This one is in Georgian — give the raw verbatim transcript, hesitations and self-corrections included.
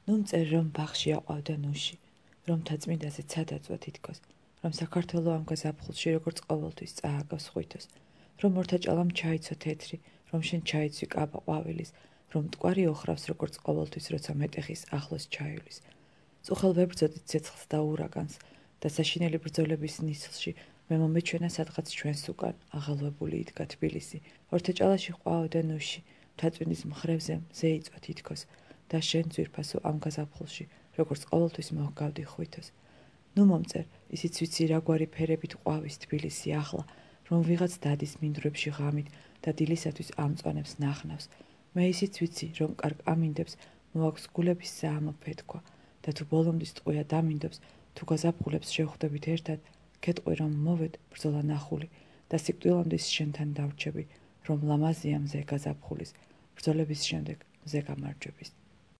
ნუ მწერ რომ ბაღში აყვავდა ნუში, რომ თაწმინდაზე ცადაწვა თითქოს, რომ საქართველო ამ გაზაფხულში როგორც ყოველთვის წააგავს ხვითოს, რომ ორთაჭალამ ჩაიცო თეთრი, რომ შენ ჩაიცვი კაბა ყვავილის, რომ მტკვარი ოხრავს როგორც ყოველთვის, როცა მეტეხის ახლოს ჩაივლის. წუხელ ვებრძოდით ცეცხლს და ურაგანს და საშინელი ბრძოლების ნისლში მე მომეჩვენა სადღაც ჩვენს უკან აღელვებული იდგა თბილისი. ორთაჭალაში ყვაოდა ნუში, მთაწმინდის მხრევზე მზე იწვა თითქოს და შენ ძვირფასო ამ გაზაფხულში, როგორც ყოველთვის მოჰგავდი ხვითოს. ნუ მომწერ, ისიც ვიცი რაგვარი ფერებით ყვავის თბილისი ახლა, რომ ვიღაც დადის მინდვრებში ღამით და დილისათვის ამწვანებს ნახნავს. მე ისიც ვიცი, რომ კარგ ამინდებს მოაქვს გულების საამო ფეთქვა და თუ ბოლომდის ტყვია დამინდობს, თუ გაზაფხულებს შევხვდებით ერთად, გეტყვი რომ მოვედ ბრძოლა ნახული და სიკვდილამდე შენთან დავრჩები, რომ ლამაზია მზე გაზაფხულის, ბრძოლების შემდეგ მზე გამარჯვების.